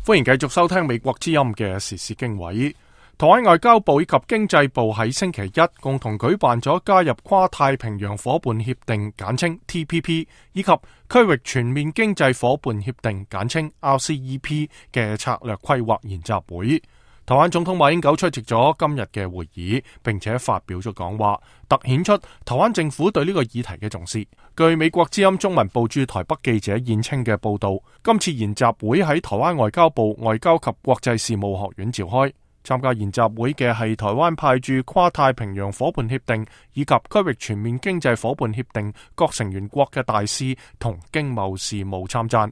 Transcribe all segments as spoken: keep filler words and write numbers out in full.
歡迎繼續收聽美國之音嘅時事經緯。台灣外交部以及經濟部喺星期一共同舉辦咗加入跨太平洋夥伴協定簡稱 T P P 以及區域全面經濟夥伴協定簡稱 R C E P 嘅策略規劃研習會。台灣總統馬英九出席咗今日嘅會議，並且發表咗講話，凸顯出台灣政府對呢個議題嘅重視。據美國之音中文部駐台北記者燕青嘅報道，今次研習會喺台灣外交部外交及國際事務學院召開。參加研習會嘅係台灣派駐跨太平洋夥伴協定以及區域全面經濟夥伴協定各成員國嘅大使同經貿事務參贊。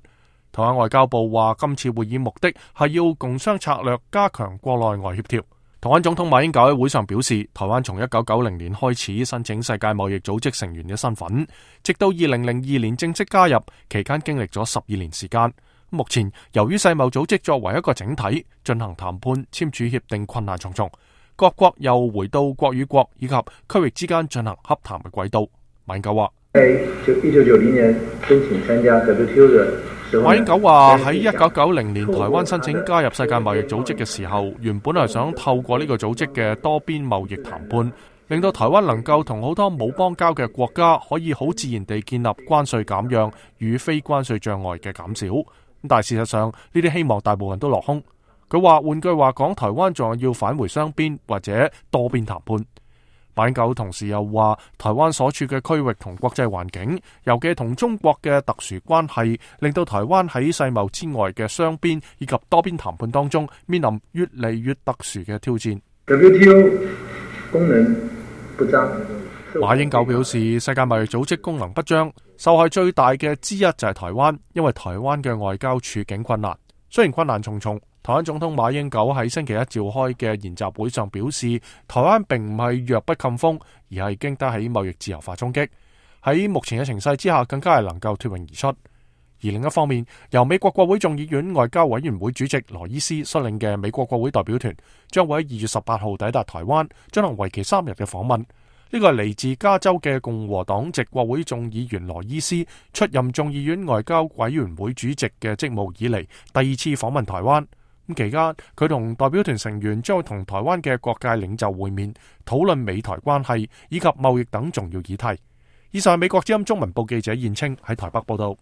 台灣外交部話，今次會議目的係要共商策略，加強國內外協調。台灣總統馬英九喺會上表示，台灣從一九九零年開始申請世界貿易組織成員嘅身份，直到二零零二年正式加入，期間經歷咗十二年時間。目前由於世貿組織作為一個整體進行談判簽署協定困難重重，各國又回到國與國以及區域之間進行洽談嘅軌道。馬英九話：一九九零年申請參加 W T O 嘅。馬英九話喺一九九零年台灣申請加入世界貿易組織嘅時候，原本係想透過呢個組織嘅多邊貿易談判，令到台灣能夠同好多冇邦交嘅國家可以好自然地建立關稅減讓與非關稅障礙嘅減少。但係事實上呢啲希望大部分都落空。佢話換句話講，台灣仲係要返回雙邊或者多邊談判。馬英九同時又話，台灣所處嘅區域同國際環境，尤其同中國嘅特殊關係，令到台灣喺世貿之外嘅雙邊以及多邊談判當中，面臨越嚟越特殊嘅挑戰。W T O 功能不彰。馬英九表示，世界貿易組織功能不彰，受害最大嘅之一就係台灣，因為台灣嘅外交處境困難。雖然困難重重，台灣總統馬英九喺星期一召開嘅研習會上表示，台灣並唔係弱不禁風，而係經得起貿易自由化衝擊。喺目前嘅情勢之下，更加係能夠脫穎而出。而另一方面，由美國國會眾議院外交委員會主席羅伊斯率領嘅美國國會代表團，將會喺二月十八號抵達台灣，進行為期三日嘅訪問。呢個係嚟自加州嘅共和黨籍國會眾議員羅伊斯出任眾議院外交委員會主席嘅職務以嚟第二次訪問台灣。咁期間，佢同代表團成員將會同台灣嘅各界領袖會面，討論美台關係以及貿易等重要議題。以上係美國之音中文部記者燕青喺台北報道。